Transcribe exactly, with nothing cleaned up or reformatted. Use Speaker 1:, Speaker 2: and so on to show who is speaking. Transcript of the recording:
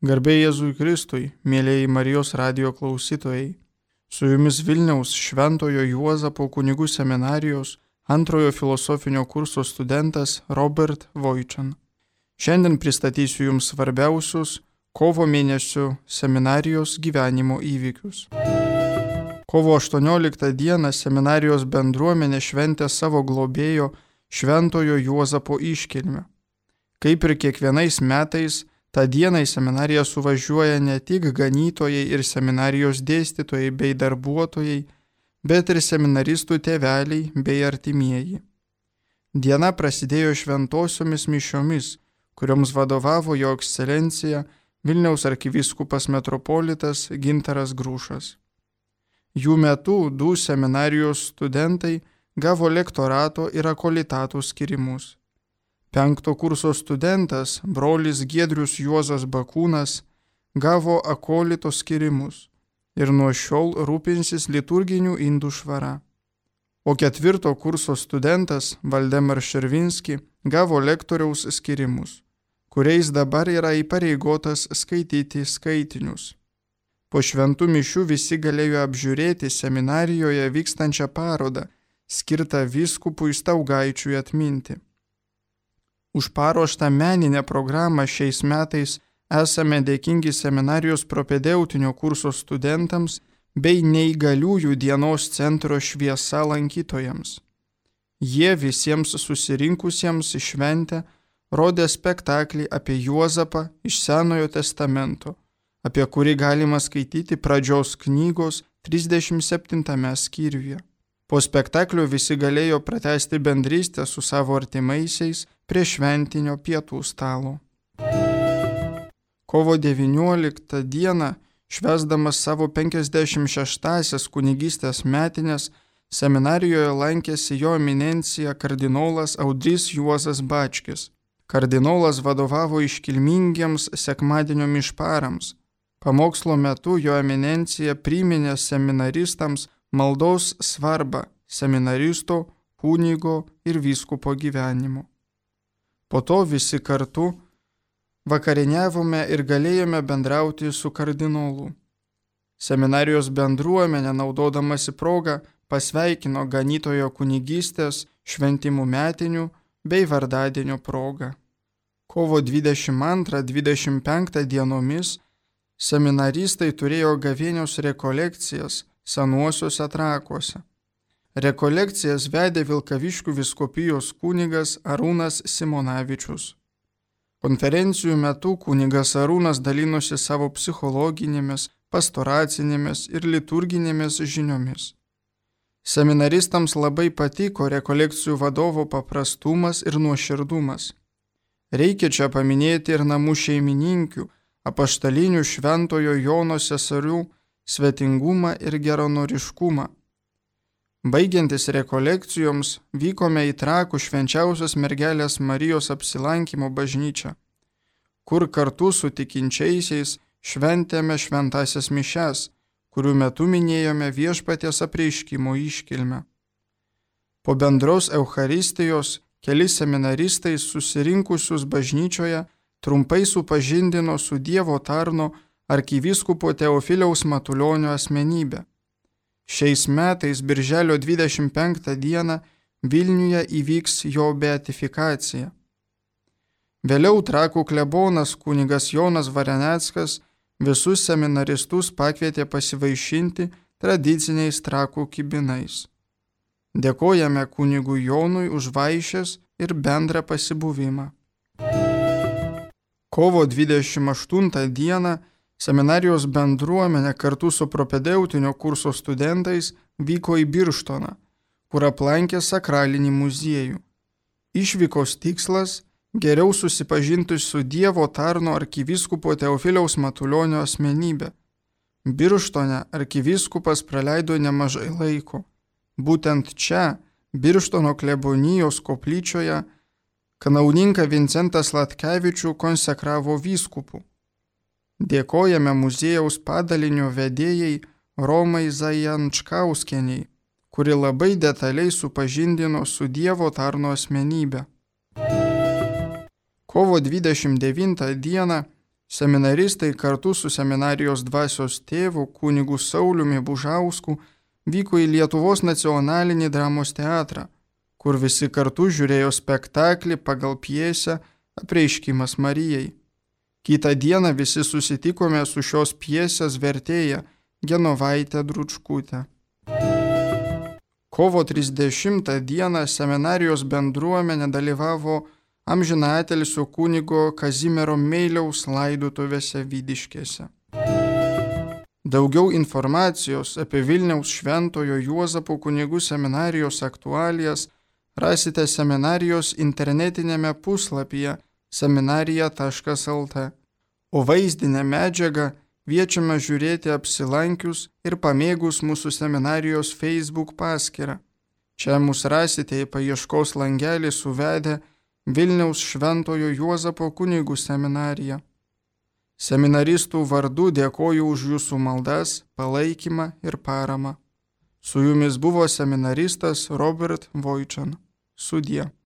Speaker 1: Garbė Jėzui Kristui, mėlėjai Marijos radijo klausytojai. Su jumis Vilniaus Šventojo Juozapo kunigų seminarijos antrojo filosofinio kurso studentas Robert Voičan. Šiandien pristatysiu jums svarbiausius kovo mėnesio seminarijos gyvenimo įvykius. Kovo aštuonioliktą dieną seminarijos bendruomenė šventė savo globėjo Šventojo Juozapo iškilmę. Kaip ir kiekvienais metais, tą dieną į seminariją suvažiuoja ne tik ganytojai ir seminarijos dėstytojai bei darbuotojai, bet ir seminaristų tėveliai bei artimieji. Diena prasidėjo šventosiomis mišiomis, kurioms vadovavo jo ekscelencija Vilniaus arkivyskupas metropolitas Gintaras Grušas. Jų metu du seminarijos studentai gavo lektorato ir akolitato skirimus. Penkto kurso studentas, brolis Giedrius Juozas Bakūnas, gavo akolito skirimus ir nuo šiol rūpinsis liturginių indų švara. O ketvirto kurso studentas, Valdemar Šervinski, gavo lektoriaus skirimus, kuriais dabar yra įpareigotas skaityti skaitinius. Po šventų mišių visi galėjo apžiūrėti seminarijoje vykstančią parodą, skirtą vyskupui Staugaičiui atminti. Už paruoštą meninę programą šiais metais esame dėkingi seminarijos propedeutinio kurso studentams bei neįgaliųjų dienos centro Šviesa lankytojams. Jie visiems susirinkusiems į šventę rodė spektaklį apie Juozapą iš Senojo testamento, apie kurį galima skaityti pradžios knygos trisdešimt septintame skyriuje. Po spektaklio visi galėjo pratęsti bendrystę su savo artimaisiais prie šventinio pietų stalo. Kovo devynioliktą dieną, švęsdamas savo penkiasdešimt šeštąsias kunigystės metines, seminarijoje lankėsi jo eminencija kardinolas Audrys Juozas Bačkis. Kardinolas vadovavo iškilmingiems sekmadienio mišparams. Pamokslo metu jo eminencija priminė seminaristams maldos svarbą seminaristo, kunigo ir vyskupo gyvenimo. Po to visi kartu vakarieniavome ir galėjome bendrauti su kardinolu. Seminarijos bendruomenė, naudodamasi progą, pasveikino ganytojo kunigystės šventimų metinių bei vardadienio progą. Kovo dvidešimt antrą dvidešimt penktą dienomis seminaristai turėjo gavėnios rekolekcijas Senuosiuose Trakuose. Rekolekcijas vedė Vilkaviškių vyskupijos kunigas Arūnas Simonavičius. Konferencijų metu kunigas Arūnas dalinosi savo psichologinėmis, pastoracinėmis ir liturginėmis žiniomis. Seminaristams labai patiko rekolekcijų vadovo paprastumas ir nuoširdumas. Reikia čia paminėti ir namų šeimininkių, apaštalinių Šventojo Jono seserių svetingumą ir geranoriškumą. Baigiantis rekolekcijoms vykome į Trakų švenčiausios mergelės Marijos apsilankymo bažnyčią, kur kartu su tikinčiaisiais šventėme šventąsias mišias, kurių metu minėjome Viešpaties apreiškimo iškilmę. Po bendros Eucharistijos keli seminaristai susirinkusius bažnyčioje trumpai supažindino su Dievo tarno arkivyskupo Teofiliaus Matulionio asmenybę. Šiais metais birželio dvidešimt penktą dieną Vilniuje įvyks jo beatifikacija. Vėliau Trakų klebonas kunigas Jonas Vareneckas visus seminaristus pakvietė pasivaišinti tradiciniais Trakų kibinais. Dėkojame kunigui Jonui už vaišes ir bendrą pasibuvimą. Kovo dvidešimt aštuntą dieną seminarijos bendruomenė kartu su propedeutinio kurso studentais vyko į Birštoną, kur aplankė sakralinį muziejų. Išvykos tikslas – geriau susipažinti su Dievo tarno arkivyskupo Teofiliaus Matulionio asmenybė. Birštone arkivyskupas praleido nemažai laiko. Būtent čia, Birštono klebonijos koplyčioje, kanauninką Vincentas Latkevičių konsekravo vyskupu. Dėkojame muziejaus padalinio vedėjai Romai Zajančkauskieniai, kuri labai detaliai supažindino su Dievo tarno asmenybę. Kovo dvidešimt devintą dieną Seminaristai kartu su seminarijos dvasios tėvu kunigu Sauliumi Bužausku vyko į Lietuvos nacionalinį dramos teatrą, kur visi kartu žiūrėjo spektaklį pagal pjesę Apreiškimas Marijai. Kitą dieną visi susitikome su šios pjesės vertėja Genovaite Dručkute. Kovo trisdešimtą dieną seminarijos bendruomenė dalyvavo amžinatilsio kunigo Kazimiero Meiliaus laidotuvėse Vydiškėse. Daugiau informacijos apie Vilniaus Šventojo Juozapo kunigų seminarijos aktualijas rasite seminarijos internetinėme puslapyje seminarija taškas lt, o vaizdinę medžiagą kviečiame žiūrėti apsilankius ir pamėgus mūsų seminarijos Facebook paskyrą. Čia mus rasite į paieškos langelį suvedę Vilniaus Šventojo Juozapo kunigų seminariją. Seminaristų vardu dėkoju už jūsų maldas, palaikymą ir paramą. Su jumis buvo seminaristas Robert Vojčan. Sudie.